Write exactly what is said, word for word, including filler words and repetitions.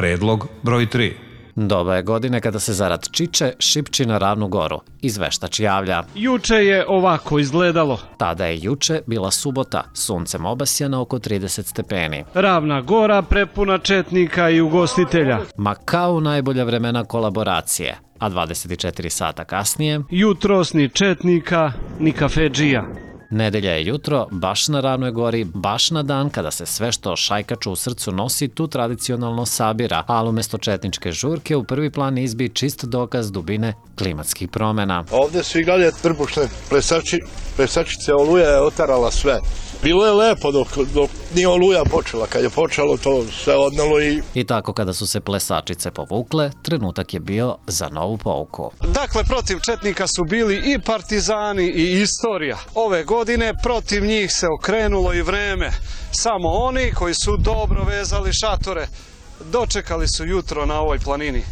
Predlog broj tri. Doba je godine kada se zarad čiče šipči na Ravnu goru. Izveštač javlja. Juče je ovako izgledalo. Tada je juče bila subota, suncem obasjana oko trideset stepeni. Ravna gora prepuna četnika i ugostitelja. Ma kao u najbolja vremena kolaboracije, a dvadeset četiri sata kasnije... Jutros ni četnika, ni kafedžija. Nedelja je jutro, baš na Ravnoj gori, baš na dan kada se sve što šajkaču u srcu nosi tu tradicionalno sabira, ali umesto četničke žurke u prvi plan izbi čist dokaz dubine klimatskih promjena. Ovdje su igrali trbušne plesači, plesačice, Oluja je otarala sve. Bilo je lepo dok, dok nije Oluja počela, kad je počelo to sve odnalo i... I tako kada su se plesačice povukle, trenutak je bio za novu pouku. Dakle, protiv četnika su bili i partizani i istorija. Ove godine protiv njih se okrenulo i vreme. Samo oni koji su dobro vezali šatore dočekali su jutro na ovoj planini.